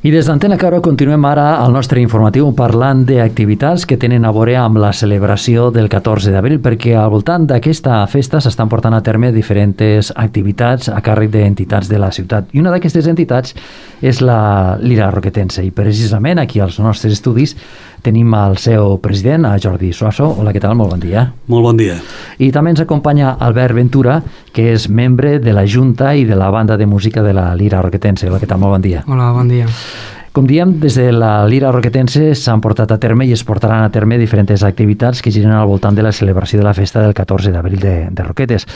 I des d'Antena Caro continuem ara el nostre informatiu parlant d'activitats que tenen a veure amb la celebració del 14 d'abril, perquè al voltant d'aquesta festa s'estan portant a terme diferents activitats a càrrec d'entitats de la ciutat. I una d'aquestes entitats és la Lira Roquetense. I precisament aquí als nostres estudis tenim el seu president, a Jordi Suazo. Hola, què tal? Molt bon dia. Molt bon dia. I també ens acompanya Albert Ventura, que és membre de la Junta i de la banda de música de la Lira Roquetense. Hola, què tal? Molt bon dia. Hola, bon dia. Com diem, des de la Lira Roquetense s'han portat a terme i es portaran a terme diferents activitats que giren al voltant de la celebració de la festa del 14 d'abril de Roquetes.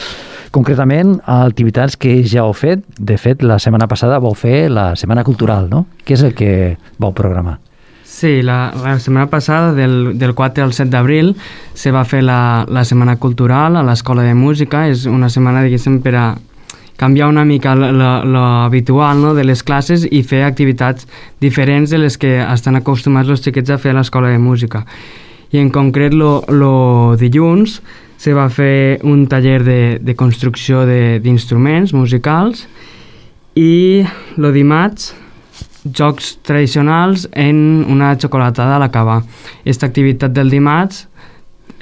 Concretament, activitats que ja heu fet. De fet, la setmana passada vau fer la Setmana Cultural, no? Què és el que vau programar? Sí, la setmana passada, del 4 al 7 d'abril, se va fer la Setmana Cultural a l'Escola de Música. És una setmana, diguéssim, per a canviar una mica l'habitual, no?, de les classes i fer activitats diferents de les que estan acostumats els xiquets a fer a l'Escola de Música. I en concret, el dilluns se va fer un taller de construcció d'instruments musicals i el dimarts jocs tradicionals en una xocolatada a l'acabar. Aquesta activitat del dimarts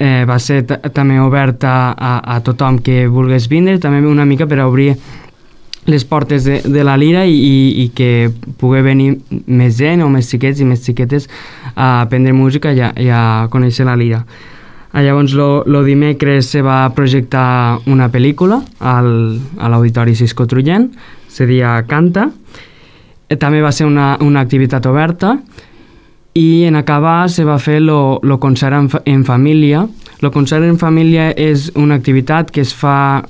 va ser també oberta a tothom que volgués vindre, també una mica per a obrir les portes de la Lira i que pugui venir més gent o més xiquets i més xiquetes a aprendre música i a conèixer la Lira. Llavors, el dimecres se va projectar una pel·lícula a l'Auditori Cisco Trullent, se deia Canta. També va ser una activitat oberta i en acabar se va fer el concert en família. El concert en família és una activitat que es fa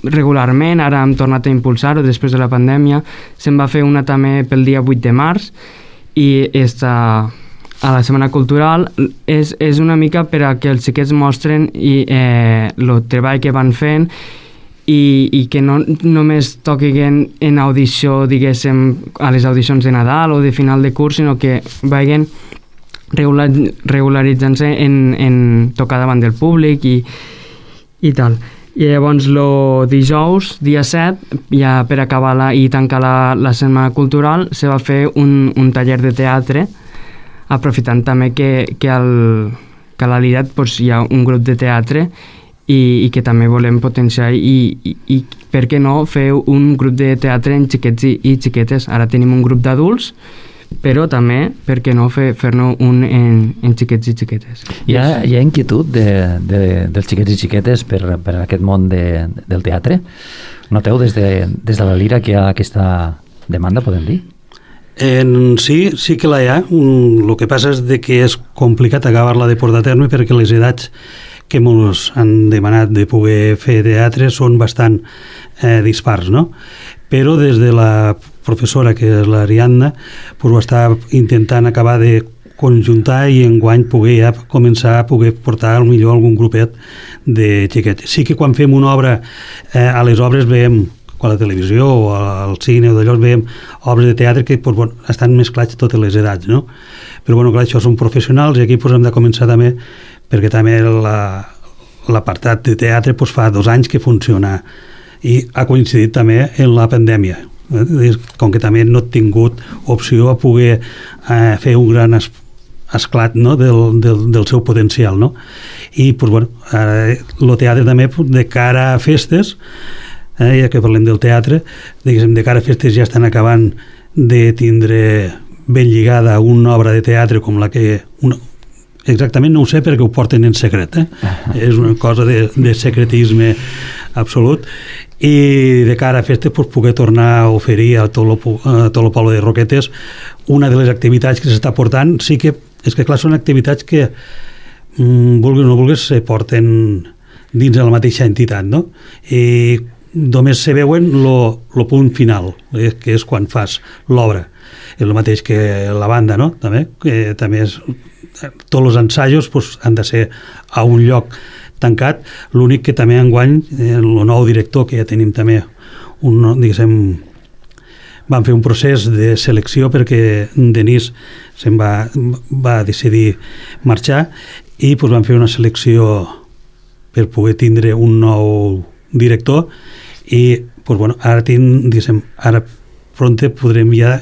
regularment, ara hem tornat a impulsar-ho després de la pandèmia. Se'n va fer una també pel dia 8 de març i a la Setmana Cultural és una mica per a que els xiquets mostren el treball que van fent i que no només toquin en audició, diguéssim, a les audicions de Nadal o de final de curs, sinó que vagin regularitzant-se en tocar davant del públic i tal. I llavors el dijous, dia 7, ja per acabar i tancar la Setmana Cultural, se va fer un taller de teatre, aprofitant també que a la Lira hi ha un grup de teatre i que també volem potenciar i per què no fer un grup de teatre en xiquets i xiquetes. Ara tenim un grup d'adults, però també, per què no fer-ne un en xiquets i xiquetes. Hi ha inquietud dels xiquets i xiquetes per aquest món del teatre? Noteu des de la Lira que hi ha aquesta demanda, podem dir? Sí que la hi ha. El que passa és que és complicat acabar-la de portar a terme perquè les edats que ens han demanat de poder fer teatre són bastant dispars, no? Però des de la professora, que és l'Ariadna, ho està intentant acabar de conjuntar i enguany poder començar a poder portar millor algun grupet de xiquets. Sí que quan fem una obra, a les obres veiem, a la televisió o al cine o d'allò, veiem obres de teatre que estan mesclats totes les edats, no? Però clar, això són professionals i aquí hem de començar també, perquè també l'apartat de teatre fa 2 anys que funciona i ha coincidit també en la pandèmia. Com que també no he tingut opció a poder fer un gran esclat, no?, del seu potencial, no? I el teatre també de cara a festes, ja que parlem del teatre, de cara a festes ja estan acabant de tindre ben lligada una obra de teatre com la que... Exactament no ho sé perquè ho porten en secret, és una cosa de secretisme absolut, i de cara a festes poder tornar a oferir a tot el poble de Roquetes una de les activitats que s'està portant. Sí que és que clar, són activitats que vulguis o no vulguis se porten dins de la mateixa entitat, no? I només se veuen el punt final, que és quan fas l'obra. És el mateix que la banda, no? També, que també és... Tots els ensajos han de ser a un lloc tancat. L'únic que també enguany, el nou director, que ja tenim també van fer un procés de selecció perquè Denis se'n va decidir marxar i van fer una selecció per poder tindre un nou director i ara pronte podrem ja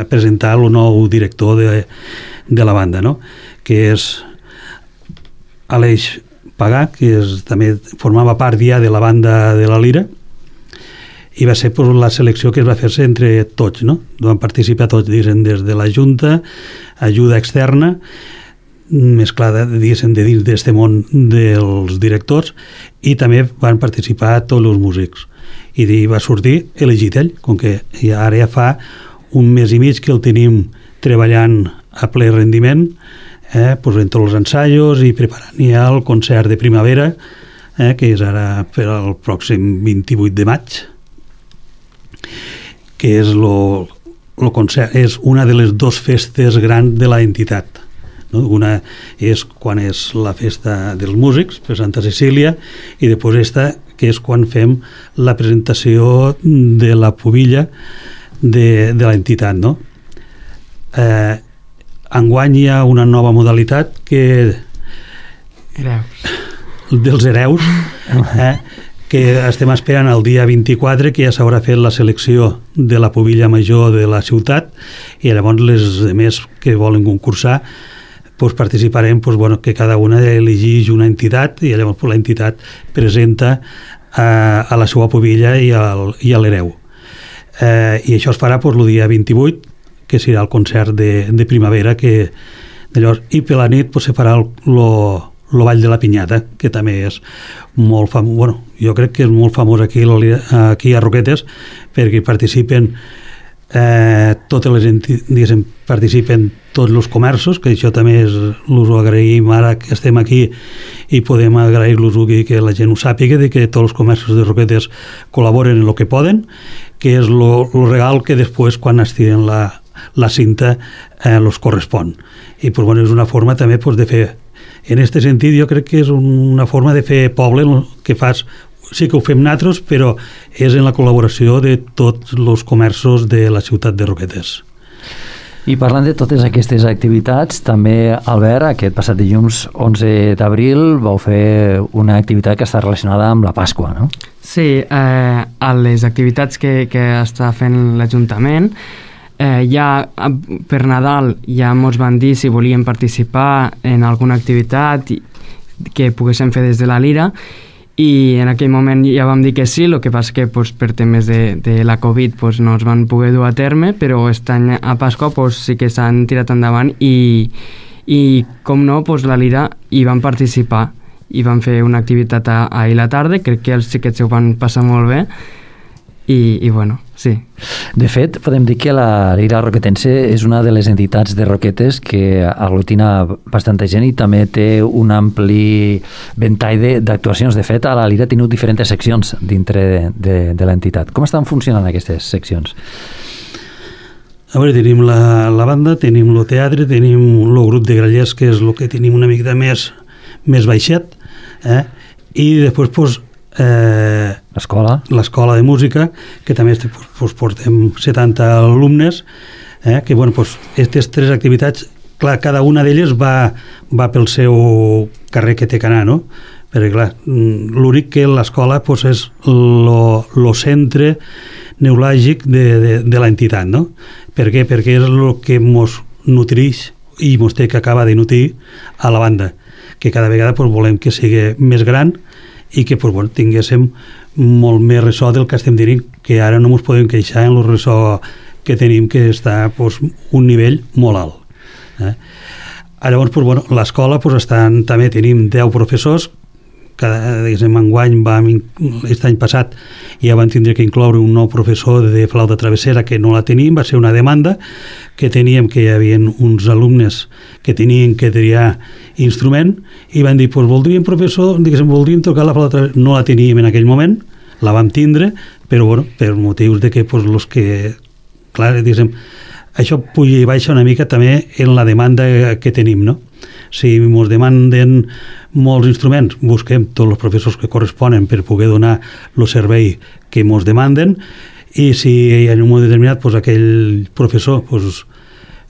presentar el nou director de la banda, no? Que és Aleix Pagà, que també formava part ja de la banda de la Lira, i va ser la selecció que es va fer-se entre tots, no? Van participar tots, diguéssim, des de la Junta, ajuda externa, mesclada, diguéssim, de dins d'aquest món dels directors, i també van participar tots els músics. I va sortir elegit ell, com que ara ja fa un mes i mig que el tenim treballant a ple rendiment, doncs en tots els ensaios i preparant ja el concert de primavera, que és ara per al pròxim 28 de maig, que és concert, és una de les dues festes grans de la entitat. No? Una és quan és la festa dels músics, per Santa Cecília, i després esta, que és quan fem la presentació de la pubilla de l'entitat. No? Enguany hi ha una nova modalitat que dels hereus, que estem esperant el dia 24, que ja s'haurà fet la selecció de la pubilla major de la ciutat, i llavors les demés que volen concursar participarem, que cada una elegeix una entitat, i llavors la entitat presenta a la seva pubilla i a l'hereu. I això es farà el dia 28, que serà el concert de primavera, i per la nit se farà el Ball de la Pinyata, que també és molt famós, jo crec que és molt famós aquí a Roquetes, perquè participen totes les entitats, participen tots els comerços, que això també us ho agraïm ara que estem aquí i podem agrair-los que la gent ho sàpiga, que tots els comerços de Roquetes col·laboren en el que poden, que és el regal que després, quan estiren la cinta, els correspon. I és una forma també de fer. En aquest sentit, jo crec que és una forma de fer poble que fas. Sí que ho fem nosaltres, però és en la col·laboració de tots els comerços de la ciutat de Roquetes. I parlant de totes aquestes activitats, també, Albert, aquest passat dilluns 11 d'abril vau fer una activitat que està relacionada amb la Pasqua, no? Sí, a les activitats que està fent l'Ajuntament, ja per Nadal ja ens van dir si volien participar en alguna activitat que poguéssim fer des de la Lira, i en aquell moment ja vam dir que sí, el que passa que per temes de la Covid no es van poder dur a terme, però aquest any a Pasqua sí que s'han tirat endavant, i com no, la Lira hi van participar i van fer una activitat ahir a la tarda. Crec que els xiquets ho van passar molt bé. I bueno, sí. De fet, podem dir que la Lira Roquetense és una de les entitats de Roquetes que aglutina bastanta gent i també té un ampli ventall d'actuacions. De fet, a la Lira ha tingut diferents seccions dintre de l'entitat. Com estan funcionant aquestes seccions? A veure, tenim la banda, tenim el teatre, tenim el grup de grallers, que és el que tenim una mica més baixet, i després l'escola de música, que també portem 70 alumnes, que aquestes tres activitats, clar, cada una d'elles va pel seu carrer que té que anar, no? Perquè clar, l'únic que l'escola és el centre neuràlgic de l'entitat, no? Per què? Perquè és el que ens nutreix i ens té que acabar de nutrir a la banda, que cada vegada volem que sigui més gran i que tinguéssim molt més ressò del que estem dient, que ara no ens podem queixar en el ressò que tenim, que està un nivell molt alt. Llavors, l'escola també tenim 10 professors. Enguany, aquest any passat, ja van tindre que incloure un nou professor de flauta travessera, que no la tenim, va ser una demanda que teníem, que hi havia uns alumnes que tenien que triar instrument, i van dir, voldríem professor, voldríem tocar la flauta travessera. No la teníem en aquell moment, la vam tindre, però per motius de que els que, clar, això puja i baixa una mica també en la demanda que tenim, no? Si ens demanden molts instruments, busquem tots els professors que corresponen per poder donar el servei que ens demanden, i si en un moment determinat aquell professor,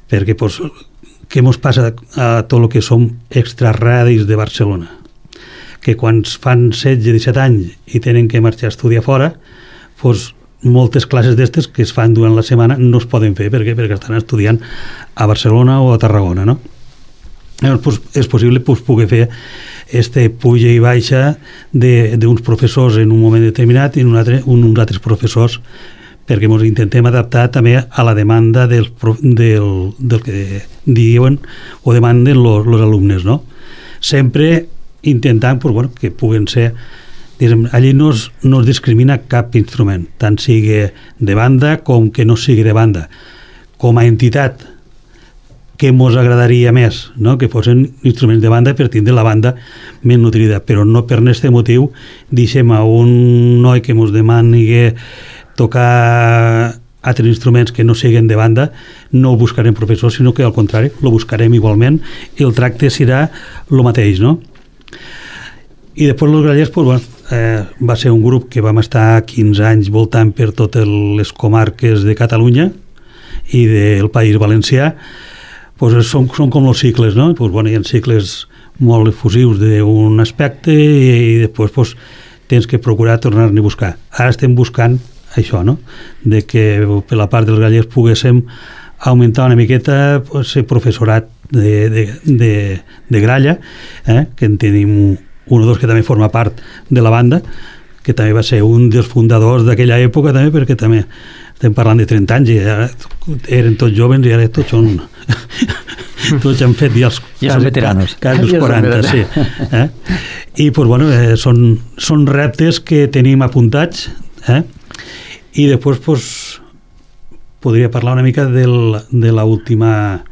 perquè què ens passa a tot el que som extrarradis de Barcelona, que quan fan 16-17 anys i tenen que marxar a estudiar fora, moltes classes d'estes que es fan durant la setmana no es poden fer perquè estan estudiant a Barcelona o a Tarragona, no? Llavors, pues, és possible pues, poder fer puja i baixa d'uns professors en un moment determinat i uns altres professors, perquè ens intentem adaptar també a la demanda del que diuen o demanden els alumnes, no? Sempre intentant pues, bueno, que puguen ser, allí no es discrimina cap instrument, tant sigui de banda com que no sigui de banda. Com a entitat, que ens agradaria més, no? Que fossin instruments de banda per tindre la banda més nutrida, però no per aquest motiu deixem a un noi que ens demani tocar altres instruments que no siguin de banda, no buscarem professors, sinó que al contrari, lo buscarem igualment i el tracte serà el mateix, no? I després els grallers, pues, bueno, va ser un grup que vam estar 15 anys voltant per totes les comarques de Catalunya i del País Valencià. Pues són com els cicles, no? Pues, bueno, hi ha cicles molt efusius d'un aspecte i després pues, tens que procurar tornar-ne a buscar. Ara estem buscant això, no? De que per la part dels grallers poguéssim augmentar una miqueta pues, el professorat de gralla, que en tenim un o dos que també forma part de la banda, que també va ser un dels fundadors d'aquella època també, perquè també estem parlant de 30 anys i ara eren tots joves i ara tots són tots han fet ja són veteranos, quasi els 40, sí. I pues, bueno, són reptes que tenim apuntats, i després pues, podria parlar una mica de l'última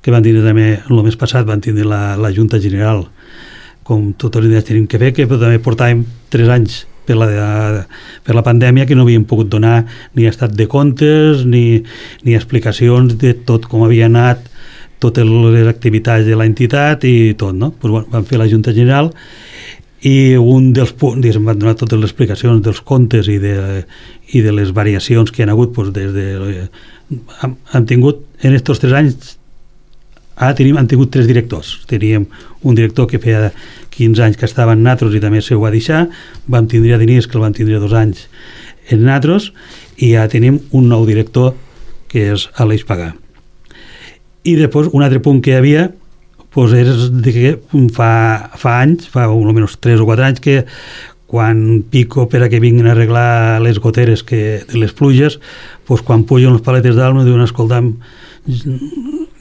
que van tindre també el mes passat, van tindre la Junta General, com totes les idees tenim que fer, que també portàvem 3 anys per la pandèmia que no havíem pogut donar ni estat de comptes ni explicacions de tot com havia anat totes les activitats de l'entitat i tot, no? Pues, bueno, vam fer la Junta General i un dels punts, em van donar totes les explicacions dels comptes i de les variacions que han hagut pues, hem tingut en aquests 3 anys han tingut 3 directors. Teníem un director que feia 15 anys que estava en Natros i també se ho va deixar, vam tindre a Dinís que el van tindre 2 anys en Natros i ja tenim un nou director que és Aleix Pagà. I després un altre punt que hi havia pues, és que fa anys, fa almenys 3 o 4 anys que quan pico per a que vinguin a arreglar les goteres de les pluges, pues, quan pugen les paletes d'alma diuen escoltam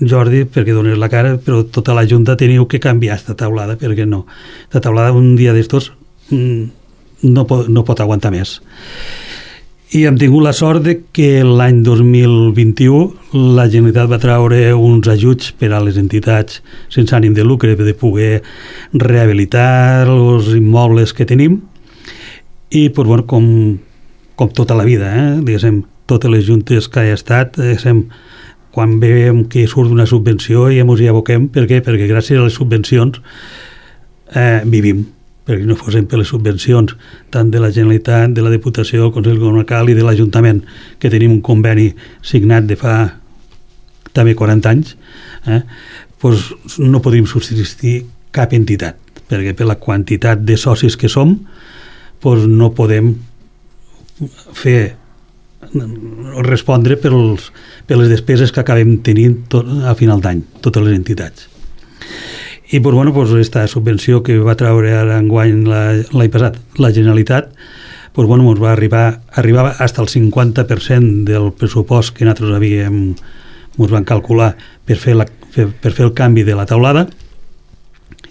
Jordi, perquè dones la cara, però tota la Junta teniu que canviar esta taulada, perquè no. Esta taulada un dia d'estos no pot aguantar més. I hem tingut la sort de que l'any 2021 la Generalitat va treure uns ajuts per a les entitats sense ànim de lucre de poder rehabilitar els immobles que tenim i, pues, bueno, com tota la vida, diguéssim, totes les juntes que ha estat, quan veiem que surt una subvenció i ens hi aboquem. Per què? Perquè gràcies a les subvencions vivim, perquè no fossin per les subvencions tant de la Generalitat, de la Diputació, del Consell Comarcal i de l'Ajuntament, que tenim un conveni signat de fa també 40 anys, doncs no podríem subsistir cap entitat, perquè per la quantitat de socis que som doncs no podem respondre per les despeses que acabem tenint a final d'any, totes les entitats. I doncs, bueno, aquesta subvenció que va treure ara enguany l'any passat la Generalitat, doncs, bueno, ens va arribar fins al 50% del pressupost que nosaltres ens van calcular per fer el canvi de la taulada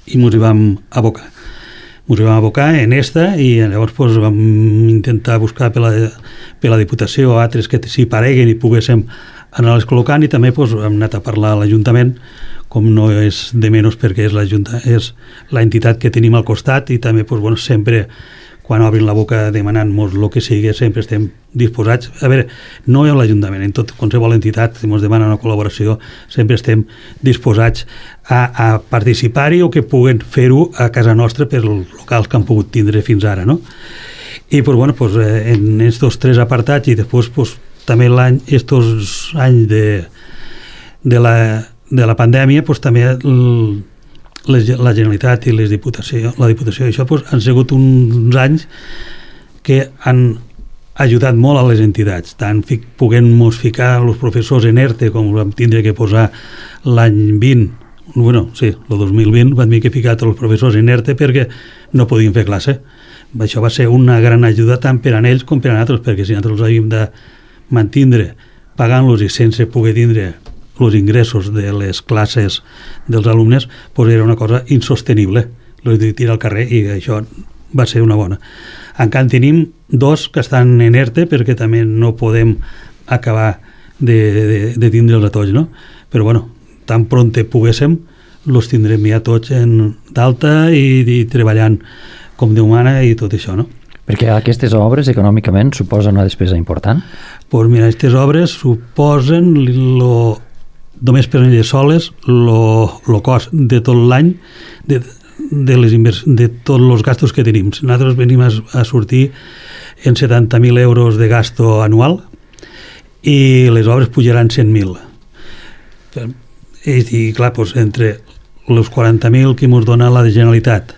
i ens hi vam abocar. Ens hi vam abocar en esta i llavors doncs, vam intentar buscar per la Diputació altres que s'hi pareguen i poguéssim anar-les col·locant i també doncs, hem anat a parlar a l'Ajuntament, com no és de menys perquè és l'entitat que tenim al costat i també doncs, bueno, sempre quan obrin la boca demanant-nos el que sigui sempre estem disposats. A veure, no a l'Ajuntament, en tot qualsevol entitat que ens demana una col·laboració sempre estem disposats a participar-hi o que puguen fer-ho a casa nostra per els locals que han pogut tindre fins ara, no? I doncs, bueno, doncs, en aquests 3 apartats i després doncs, també estos anys de la pandèmia doncs, també la Generalitat i la Diputació i això doncs, han sigut uns anys que han ajudat molt a les entitats, tant puguem-nos ficar els professors en ERTE, com vam tindre que posar l'any 20, bueno, sí, el 2020 vam haver que ficar tots els professors en ERTE perquè no podien fer classe. Això va ser una gran ajuda tant per a ells com per a nosaltres, perquè si nosaltres els havíem de mantindre pagant-los i sense poder tindre els ingressos de les classes dels alumnes, doncs era una cosa insostenible, els de tirar al carrer, i això va ser una bona. Encara tenim 2 que estan en ERTE perquè també no podem acabar de tindre'ls a tots, no? Però bueno, tan pronte poguéssim, els tindrem ja tots d'alta i treballant com Déu mana i tot això, no? Perquè aquestes obres econòmicament suposen una despesa important? Doncs mira, aquestes obres suposen només per elles soles el cost de tot l'any de tots els gastos que tenim. Nosaltres venim a sortir en 70.000 euros de gasto anual i les obres pujaran 100.000. I clar, doncs, entre els 40.000 que ens dona la Generalitat,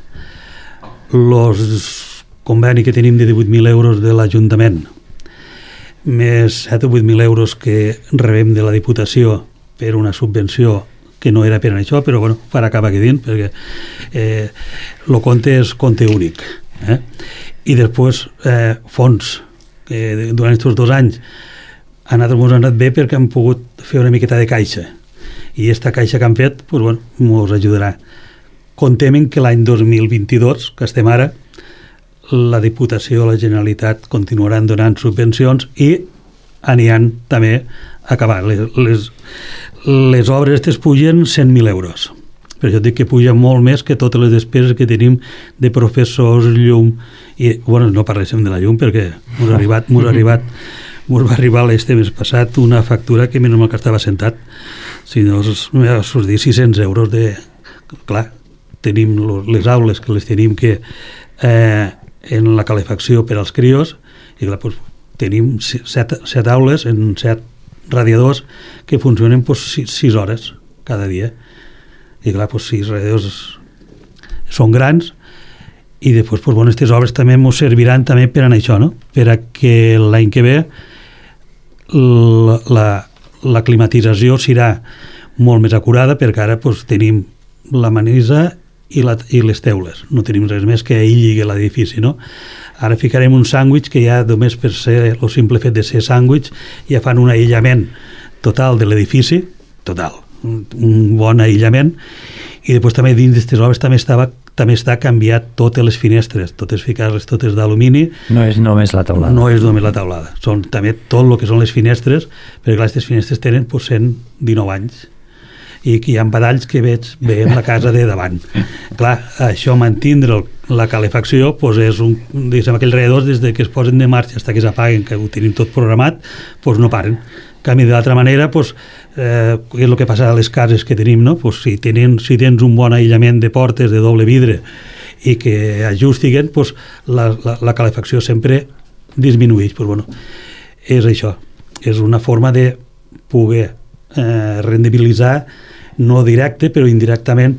els conveni que tenim de 18.000 euros de l'Ajuntament, més 7 o 8.000 euros que rebem de la Diputació per una subvenció que no era per això, però bueno, farà acabar aquí dins, perquè el compte és compte únic. I després fons, que durant aquests 2 anys a nosaltres ens ha anat bé perquè hem pogut fer una miqueta de caixa, i aquesta caixa que han fet doncs, bueno, ens ajudarà. Contem que l'any 2022, que estem ara, la Diputació i la Generalitat continuaran donant subvencions i aniran també a acabar. Les obres aquestes pugen 100.000 euros. Per això dic que puja molt més que totes les despeses que tenim de professors, llum, i bueno, no parléssim de la llum perquè va arribar l'este mes passat una factura que menys mal que estava sentat, si no us dir 600 euros de... Clar, tenim les aules que les tenim que en la calefacció per als crios, i clar, doncs, tenim 7 aules en 7 radiadors que funcionen 6 hores cada dia, i clar, 6 radiadors són grans, i després bueno, aquestes obres també ens serviran també per a això, no? Per a que l'any que ve la climatització serà molt més acurada, perquè ara tenim la manisa i les teules, no tenim res més que aïlli l'edifici, no? Ara ficarem un sàndwich que ja només per ser el simple fet de ser sàndwich ja fan un aïllament total de l'edifici, total, un bon aïllament, i després també dins d'aquestes obres també està canviat totes les finestres, totes ficar-les totes d'alumini. No és només la teulada. No és només la teulada, són també tot el que són les finestres, perquè clar, aquestes finestres tenen 119 anys, i que hi ha badalls que veiem la casa de davant. Clar, això mantindre la calefacció és aquells radiadors des que es posen de marxa fins que s'apaguen, que ho tenim tot programat, no paren. En canvi, de l'altra manera, és el que passa a les cases que tenim, no? Si tens un bon aïllament de portes de doble vidre i que ajustiguen, la calefacció sempre disminueix. És això, és una forma de poder rendibilitzar, no directe però indirectament,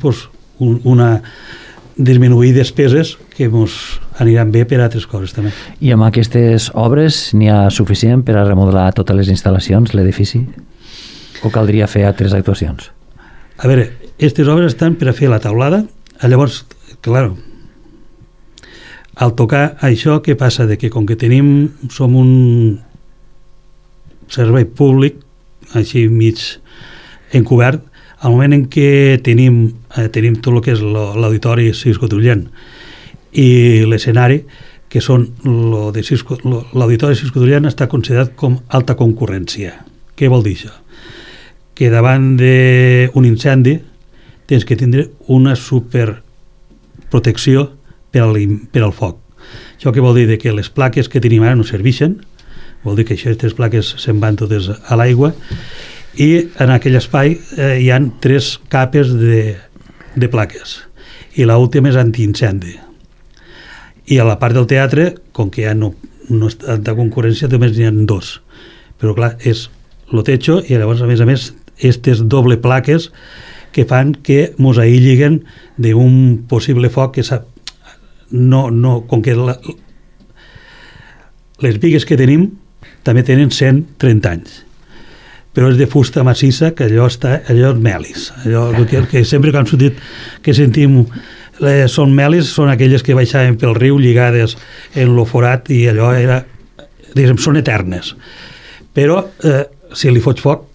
disminuir despeses que ens aniran bé per a altres coses també. I amb aquestes obres n'hi ha suficient per a remodelar totes les instal·lacions, l'edifici? O caldria fer altres actuacions? A veure, aquestes obres estan per a fer la teulada, llavors, clar, al tocar això, què passa? Que com que som un servei públic, així mig encobert, al moment en què tenim tot el que és l'auditori Cisco Trullent i l'escenari, que són l'auditori Cisco Trullent està considerat com alta concurrència. Què vol dir això? Que davant d'un incendi tens que tindre una superprotecció per al foc. Això què vol dir? Que les plaques que tenim ara no serveixen, vol dir que aquestes plaques se'n van totes a l'aigua, i en aquell espai hi han 3 capes de plaques, i l'última és antiincendi. I a la part del teatre, com que ja no és tanta concurrència, només n'hi ha 2. Però clar, és el techo, i llavors a més aquestes doble plaques que fan que mos aïlliguen d'un possible foc que com que les bigues que tenim també tenen 130 anys, però és de fusta massissa, que allò és melis. Allò que sempre que han sortit, que sentim són melis, són aquelles que baixaven pel riu lligades en lo forat, i allò era, diguem, són eternes. Però si li fots foc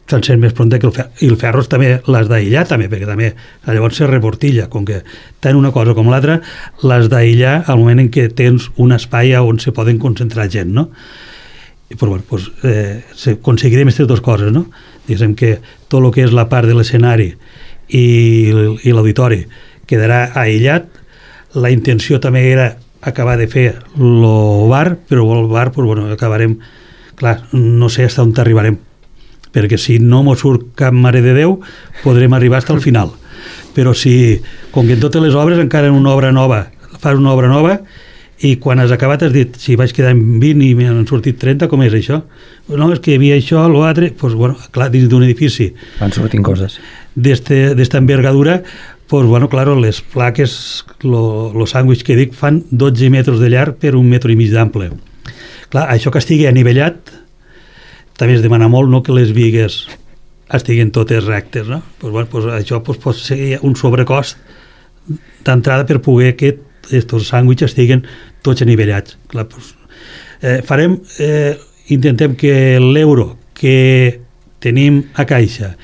s'encén més prompte que el ferro. I el ferro també l'has d'aïllar també, perquè també llavors se reportilla, com que tant una cosa com l'altra l'has d'aïllar al moment en què tens un espai on se poden concentrar gent, no? I però, bueno, pues, aconseguirem aquestes dues coses, no? Diguem que tot el que és la part de l'escenari i l'auditori quedarà aïllat. La intenció també era acabar de fer el bar, però el bar, pues, bueno, acabarem, clar, no sé fins on arribarem, perquè si no mos surt cap mare de Déu podrem arribar fins al final, però si, com que en totes les obres encara en una obra nova fas una obra nova i quan has acabat has dit, si vaig quedar en 20 i m'han sortit 30, com és això? No, és que hi havia això, l'altre, doncs, bueno, clar, dins d'un edifici van sortint coses d'esta envergadura, doncs, bueno, claro, les plaques, los sàndwich que dic, fan 12 metres de llarg per 1,5 metres d'ample. Clar, això que estigui anivellat també es demana molt, no?, que les bigues estiguin totes rectes, no? Pues, bueno, pues això pues, pot ser un sobrecost d'entrada per poder que aquests sàndwiches estiguin tots anivellats. Clar, pues, intentem que l'euro que tenim a caixa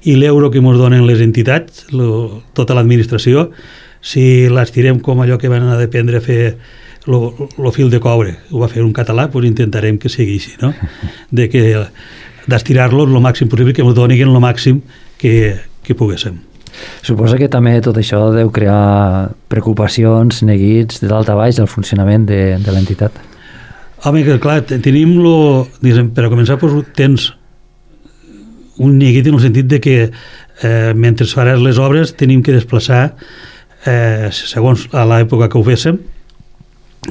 i l'euro que ens donen les entitats, tota l'administració, si l'estirem com allò que van a dependre a fer el fil de coure, ho va fer un català, doncs intentarem que sigui així, no? D'estirar-los el màxim possible, que ens donin el màxim que poguéssim. Suposa que també tot això deu crear preocupacions, neguits de dalt a baix del funcionament de l'entitat. Home, que clar, tenim per a començar, doncs, tens un neguit en el sentit de que mentre faràs les obres tenim que desplaçar, segons a l'època que ho féssim,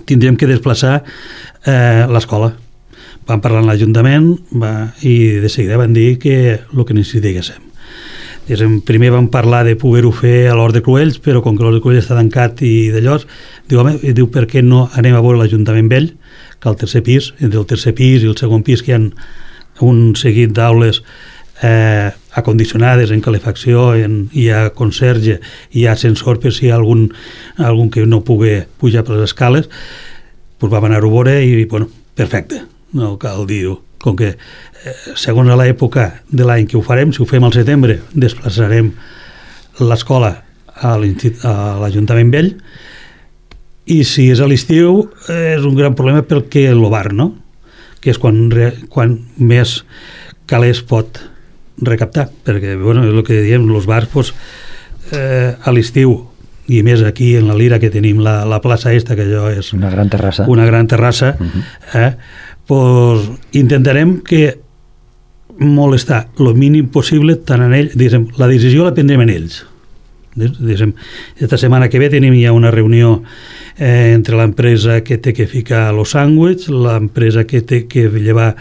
tindrem que desplaçar l'escola. Vam parlar amb l'Ajuntament i de seguida van dir que el que necessitéssim. Primer vam parlar de poder-ho fer a l'Hort de Cruells, però com que l'Hort de Cruells està tancat i d'allò, diu, per què no anem a veure l'Ajuntament vell, que al tercer pis, entre el tercer pis i el segon pis, que hi ha un seguit d'aules acondicionades en calefacció, hi ha conserge, hi ha ascensor per si hi ha algun que no pugui pujar per les escales, doncs vam anar-ho a veure i, bueno, perfecte, no cal dir-ho. Com que segons a l'època de l'any que ho farem, si ho fem al setembre, desplaçarem l'escola a l'Ajuntament vell, i si és a l'estiu és un gran problema perquè el bar, no? Que és quan més calés pot recaptar, perquè, bueno, és el que diem, els bars, doncs, a l'estiu, i més aquí en la Lira, que tenim la plaça esta, que allò és una gran terrassa, doncs intentarem que molestar el mínim possible tant en ells, la decisió la prendrem en ells. Esta setmana que ve tenim ja una reunió entre l'empresa que té que ficar els sàndwichs, l'empresa que té que llevar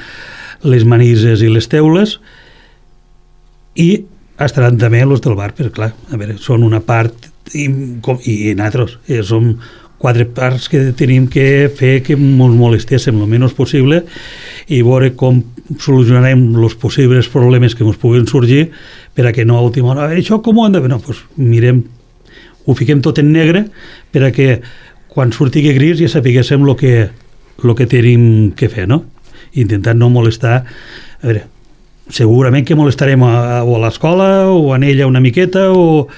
les manises i les teules, i estaran també els del bar, perquè clar, a veure, són una part i nosaltres som 4 parts que tenim que fer que ens molestéssim el menys possible i veure com solucionarem els possibles problemes que ens puguin sorgir per a que no a última hora, a veure, això com ho han de fer? No, doncs mirem, ho fiquem tot en negre per a que quan surti gris ja sapiguéssim el que tenim que fer, no? Intentant no molestar, a veure, segurament que molestarem o a l'escola o a ella una miqueta o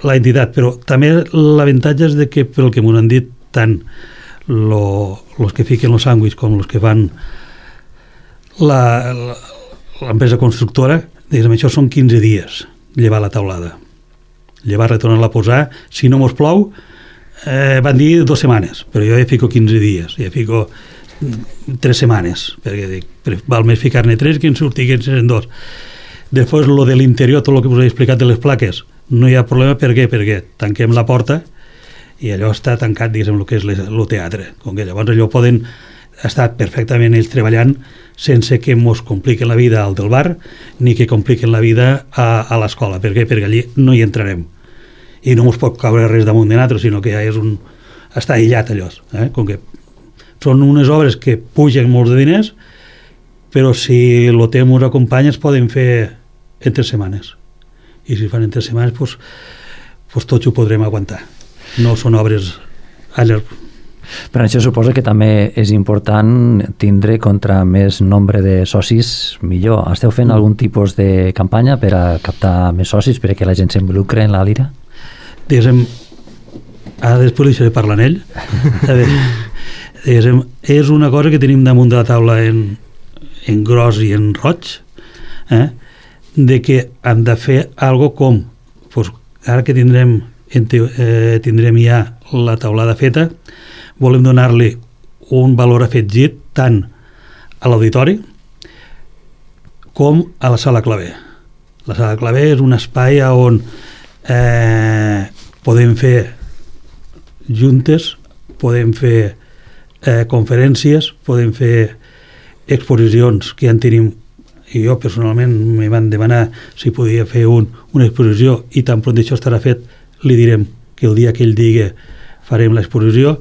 la entitat, però també l'avantatge és de que, pel que m'ho han dit tant els que fiquen els sàndwichs com els que fan l'empresa constructora, això són 15 dies llevar la taulada, llevar, retornar-la a posar, si no mos plou van dir 2 setmanes, però jo ja fico 15 dies, ja fico 3 setmanes, perquè val més ficar-ne 3 que en sortiguin 2. Després, lo de l'interior, tot el que us he explicat de les plaques, no hi ha problema. Per què? Perquè tanquem la porta i allò està tancat, diguéssim, el que és el teatre. Com que llavors allò poden estar perfectament ells treballant sense que mos compliquen la vida al del bar ni que compliquen la vida a l'escola. Per què? Perquè allí no hi entrarem. I no mos pot caure res damunt de nosaltres, sinó que ja és està aïllat allò. Com que són unes obres que pugen molts de diners, però si el temps us acompanya es poden fer en 3 setmanes. I si fan en 3 setmanes, doncs tots ho podrem aguantar. No són obres a llarg. Per això suposo que també és important tindre contra més nombre de socis millor. Esteu fent algun tipus de campanya per a captar més socis, perquè la gent s'involucra en la lira? Diguéssim, ara després li deixaré parlar en ell. A veure, diguéssim, és una cosa que tenim damunt de la taula en gros i en roig, de que hem de fer algo com, doncs, ara que tindrem ja la taulada feta, volem donar-li un valor afegit tant a l'auditori com a la sala claver. La sala claver és un espai on podem fer juntes, podem fer conferències, podem fer exposicions que ja en tenim, i jo personalment me van demanar si podia fer una exposició, i tan pront això estarà fet li direm que el dia que ell digui farem l'exposició.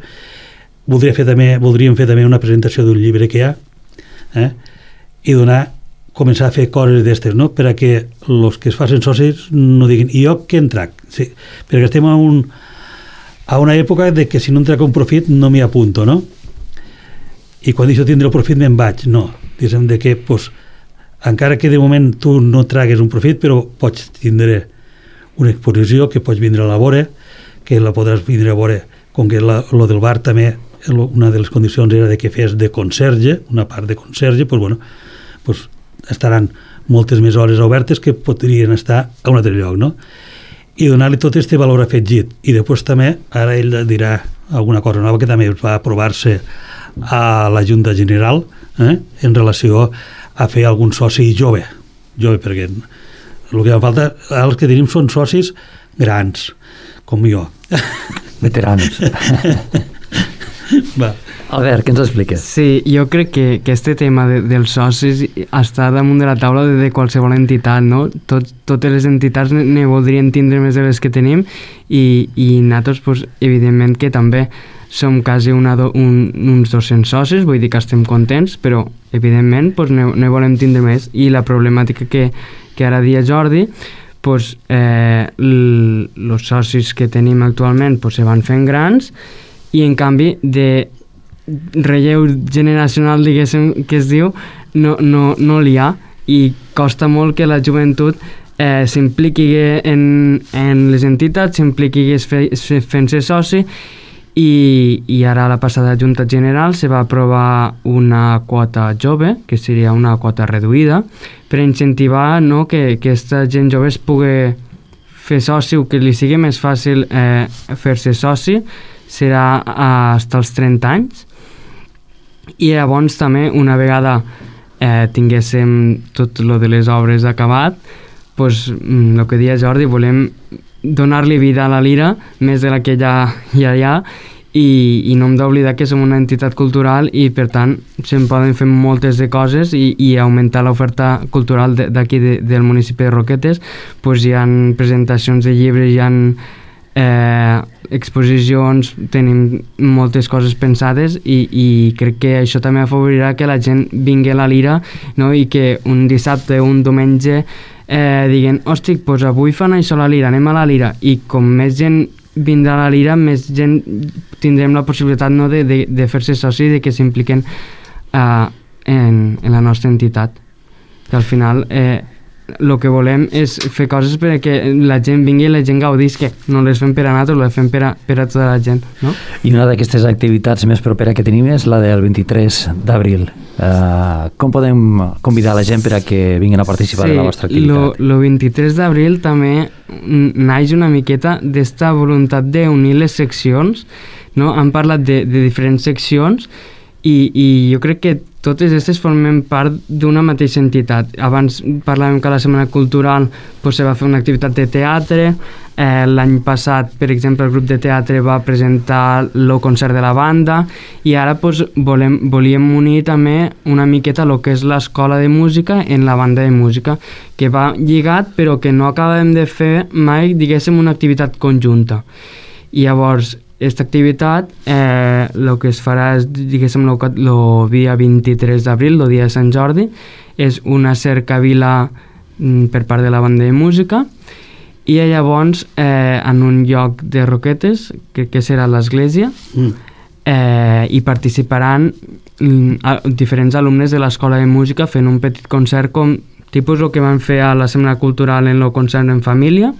Voldríem fer també una presentació d'un llibre que hi ha, i començar a fer coses d'estes, no? Per a que els que es facin socis no diguin, i jo què en trac? Sí, perquè estem a una època de que si no en trac un profit no m'hi apunto, no? I quan això tindré el profit me'n vaig. No, diguem de que encara que de moment tu no tragues un profit, però pots tindre una exposició que pots vindre a la vora, que la podràs vindre a veure, com que lo del bar també, una de les condicions era de que fes de conserge, una part de conserge, doncs estaran moltes més hores obertes que podrien estar a un altre lloc, no? I donar-li tot aquest valor afegit. I després també, ara ell dirà alguna cosa nova que també va aprovar-se a la Junta General en relació a fer algun soci jove, perquè el que em falta, els que tenim són socis grans, com jo. Veterans. Va. Albert, què ens expliques? Sí, jo crec que este tema dels socis està damunt de la taula de qualsevol entitat, no? Totes les entitats ne voldrien tindre més de les que tenim i nosaltres, pues, evidentment que també som quasi uns 200 socis, vull dir que estem contents, però evidentment pues, ne volem tindre més, i la problemàtica que ara dia Jordi, pues, els socis que tenim actualment pues, se van fent grans, i en canvi de relleu generacional, diguéssim, que es diu, no n'hi ha, i costa molt que la joventut s'impliqui en les entitats, s'impliqui fent-se soci, i ara a la passada Junta General se va aprovar una quota jove, que seria una quota reduïda, per incentivar, no, que aquesta gent jove es pugui fer soci, o que li sigui més fàcil fer-se soci, serà fins als 30 anys. I llavors també, una vegada tinguéssim tot lo de les obres acabat, pues, el que deia Jordi, volem donar-li vida a la lira, més de la que ja hi ha, i no hem d'oblidar que som una entitat cultural i per tant se'n poden fer moltes de coses i augmentar l'oferta cultural d'aquí del municipi de Roquetes. Pues hi ha presentacions de llibres, hi ha exposicions, tenim moltes coses pensades i crec que això també afavorirà que la gent vingui a la lira, no? I que un dissabte o un diumenge diguen, hòstic, doncs avui fan això a la lira, anem a la lira, i com més gent vindrà a la lira, més gent tindrem la possibilitat, no, de fer-se soci, de que s'impliquen en la nostra entitat, que al final el que volem és fer coses perquè la gent vingui i la gent gaudisca, no les fem per a nosaltres, les fem per a tota la gent, no? I una d'aquestes activitats més propera que tenim és la del 23 d'abril. Com podem convidar la gent per a que vinguin a participar de la vostra activitat? El 23 d'abril també naix una miqueta d'esta voluntat d'unir les seccions, no? Han parlat de diferents seccions i jo crec que totes aquestes formen part d'una mateixa entitat. Abans parlàvem que a la Setmana Cultural se va fer una activitat de teatre. L'any passat, per exemple, el grup de teatre va presentar el concert de la banda, i ara volíem unir també una miqueta el que és l'escola de música en la banda de música, que va lligat però que no acabem de fer mai, diguéssim, una activitat conjunta. I llavors aquesta activitat el que es farà és, diguéssim, el dia 23 d'abril, el dia de Sant Jordi, és una cercavila per part de la banda de música, i llavors en un lloc de Roquetes, que serà l'església, hi participaran diferents alumnes de l'escola de música fent un petit concert com tipus el que van fer a la Setmana Cultural en el concert en família,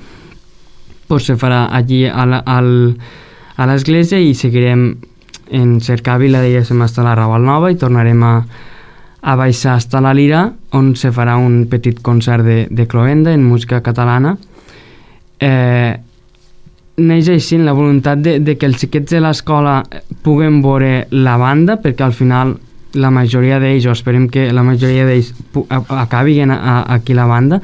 pues se farà allí a l'església, i seguirem en Cercavila, diguéssim, fins a la Raval Nova, i tornarem a baixar fins a la Lira, on se farà un petit concert de cloenda en música catalana. Neix així la voluntat de que els xiquets de l'escola puguen veure la banda, perquè al final la majoria d'ells, o esperem que la majoria d'ells acabin aquí la banda,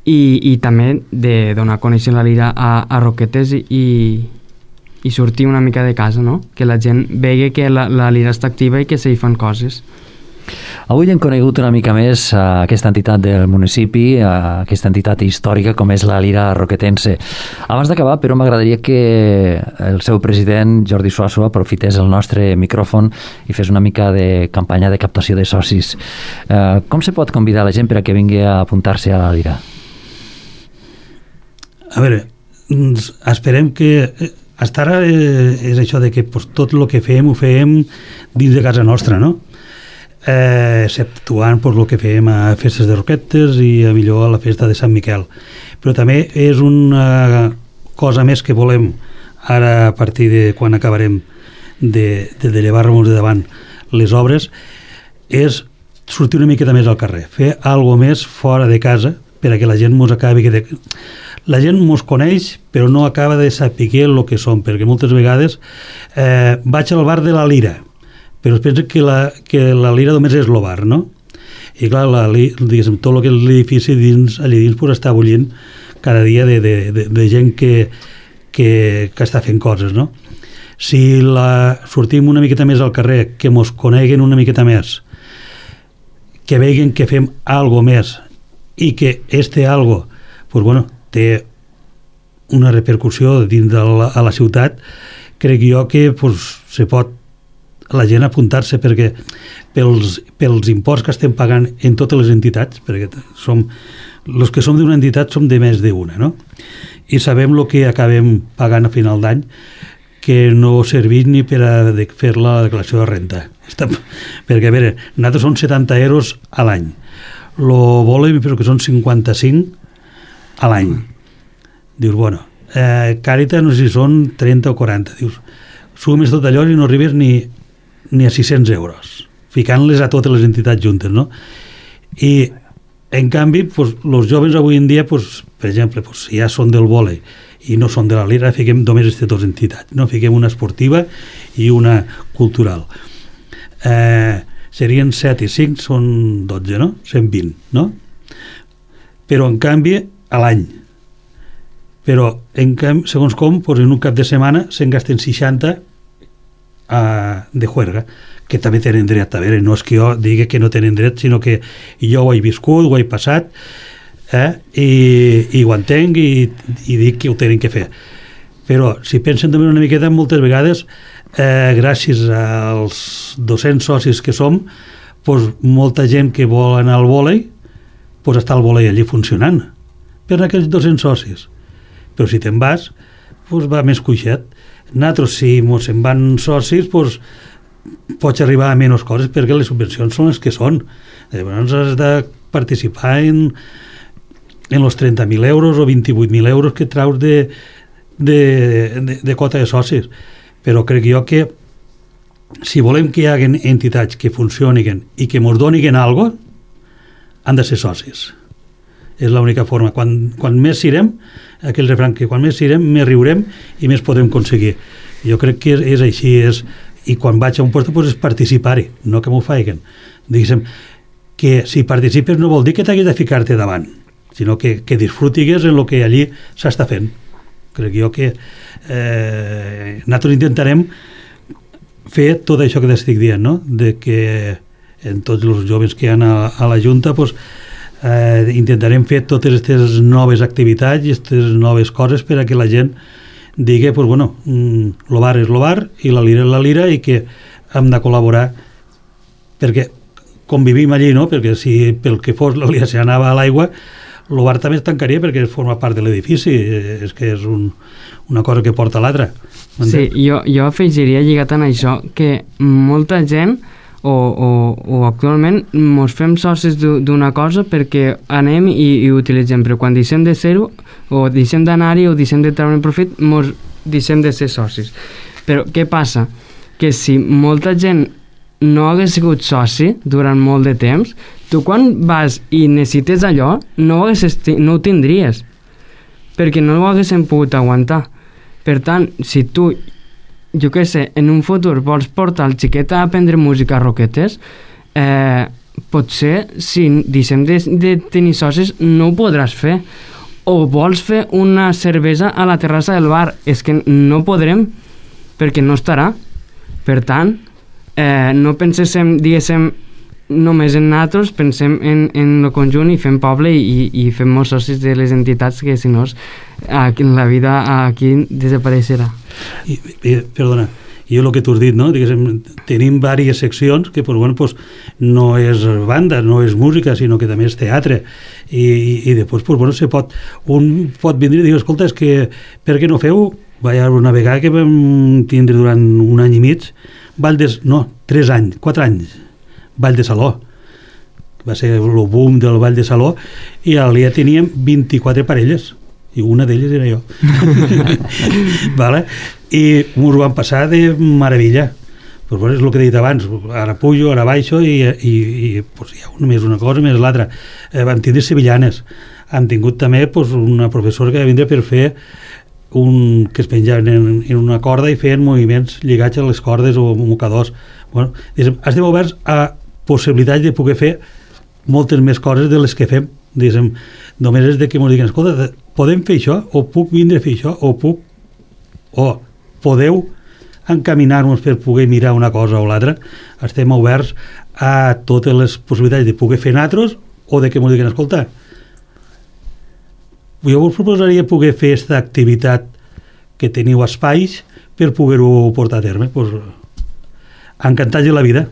i també de donar a conèixer la Lira a Roquetes i sortir una mica de casa, no? Que la gent vegi que la Lira està activa i que s'hi fan coses. Avui hem conegut una mica més aquesta entitat del municipi, aquesta entitat històrica com és la Lira Roquetense. Abans d'acabar, però, m'agradaria que el seu president, Jordi Suasso, aprofités el nostre micròfon i fes una mica de campanya de captació de socis. Com se pot convidar la gent per a que vingui a apuntar-se a la Lira? A veure, esperem que hasta ara és això de que tot el que fem ho fem dins de casa nostra, no? Exceptuant el que fem a festes de Roquetes i a millor a la festa de Sant Miquel, però també és una cosa més que volem ara, a partir de quan acabarem de llevar-nos de davant les obres, és sortir una miqueta més al carrer, fer alguna més fora de casa per a que la gent mos acabi la gent mos coneix però no acaba de saber el que som, perquè moltes vegades vaig al bar de la Lira, però es pensa que la Lira només és el bar, no? I clar, diguéssim, tot el que és l'edifici allà dins pues, està bullint cada dia de gent que està fent coses, no? Si sortim una miqueta més al carrer, que mos coneguen una miqueta més, que vegin que fem algo més i que algo pues, bueno, té una repercussió dins a la ciutat, crec jo que pues, se pot la gent apuntar-se, perquè pels imports que estem pagant en totes les entitats, perquè els que som d'una entitat som de més d'una, no? I sabem el que acabem pagant a final d'any, que no serveix ni per a fer la declaració de renta. Perquè, a veure, nosaltres són 70 euros a l'any. Lo volem, però que són 55 a l'any. Dius, bueno, Càritas no sé si són 30 o 40. Dius, sumes tot allò i no arribes ni a 600 euros, ficant-les a totes les entitats juntes, no? I, en canvi, pues, els joves avui en dia, pues, per exemple, pues, si ja són del vòlei i no són de la Lira, fiquem només aquestes dues entitats, no? Fiquem una esportiva i una cultural. Serien 7 i 5, són 12, no? 120, no? Però, en canvi, a l'any. Però, en canvi, segons com, pues, en un cap de setmana se'n gasten 60 de juerga, que també tenen dret. A veure, no és que jo digui que no tenen dret, sinó que jo ho he viscut, ho he passat, i ho entenc i dic que ho tenen que fer. Però si pensen també una miqueta, moltes vegades gràcies als 200 socis que som, pues, molta gent que vol anar al vòlei, pues, està el vòlei allí funcionant per aquells 200 socis. Però si te'n vas, pues, va més cuixet. Nosaltres, si ens en van socis, pues, pots arribar a menys coses, perquè les subvencions són les que són. Llavors has de participar en els 30.000 euros o 28.000 euros que traus de quota de socis. Però crec jo que si volem que hi hagi entitats que funcionin i que ens donin alguna cosa, han de ser socis. És l'única forma. Quan més sirem, aquell refrany que quan més sirem, més riurem i més podem aconseguir. Jo crec que és així, i quan vaig a un lloc pues, és participar-hi, no que m'ho facin. Diguéssim, que si participes no vol dir que t'haguis de ficar-te davant, sinó que disfrutigues en el que allí s'està fent. Crec jo que nosaltres intentarem fer tot això que t'estic dient, no? De que en tots els joves que hi ha a la Junta pues, intentarem fer totes aquestes noves activitats i aquestes noves coses per a que la gent digui, pues, bueno, lo bar és lo bar i la lira és la lira i que hem de col·laborar perquè convivim allí, no? Perquè si pel que fos la lira s'anava a l'aigua, el bar també es tancaria perquè forma part de l'edifici, és que és una cosa que porta a l'altra. Sí, jo afegiria lligat en això que molta gent o actualment mos fem socis d'una cosa perquè anem i utilitzem, però quan deixem de ser-ho o deixem d'anar-hi o deixem de treure profit mos deixem de ser socis. Però què passa? Que si molta gent no hagués sigut soci durant molt de temps, tu quan vas i necessites allò no ho tindries perquè no ho haguéssim pogut aguantar. Per tant, si tu, jo què sé, en un futur vols portar el xiquet a aprendre música a Roquetes, potser si deixem de tenir socis no ho podràs fer. O vols fer una cervesa a la terrassa del bar, és que no podrem perquè no estarà. Per tant, no pensem, diguéssim, només en nosaltres, pensem en el conjunt i fem poble i fem molts socis de les entitats que si no la vida aquí desapareixerà. Perdona, jo el que tu has dit, no? Diguéssim, tenim diverses seccions que pues, bueno, pues, no és banda, no és música, sinó que també és teatre i després pues, bueno, un pot vindre i dir, escolta, és que per què no feu? Va haver una vegada que vam tindre durant un any i mig 3 anys, 4 anys Ball de Saló, va ser el boom del Ball de Saló i al dia teníem 24 parelles i una d'elles era jo. Vale? I ens ho vam passar de meravella. Pues, bueno, és el que he dit abans, ara pujo, ara baixo i pues, hi ha més una cosa més l'altra. Vam tindre sevillanes, hem tingut també pues, una professora que va vindre per fer que es penjaven en una corda i feien moviments lligats a les cordes o mocadors. Bueno, estem oberts a possibilitats de poder fer moltes més coses de les que fem. Només és de que ens diguin, escolta, podem fer això? O puc vindre a fer això? O podeu encaminar-nos per poder mirar una cosa o l'altra? Estem oberts a totes les possibilitats de poder fer nosaltres o de que ens diguin, escolta, jo us proposaria poder fer aquesta activitat que teniu espais per poder-ho portar a terme. Pues, encantats de la vida,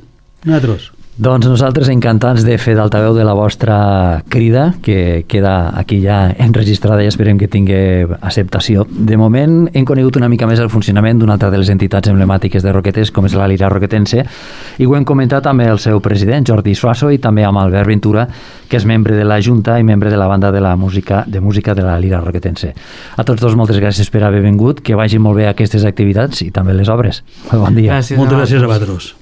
nosaltres. Doncs nosaltres encantats de fer d'altaveu de la vostra crida, que queda aquí ja enregistrada i esperem que tingui acceptació. De moment hem conegut una mica més el funcionament d'una altra de les entitats emblemàtiques de Roquetes, com és la Lira Roquetense, i ho hem comentat amb el seu president, Jordi Suaso, i també amb Albert Ventura, que és membre de la Junta i membre de la banda de música de la Lira Roquetense. A tots dos, moltes gràcies per haver vingut, que vagin molt bé aquestes activitats i també les obres. Molt bon dia. Moltes gràcies a vosaltres.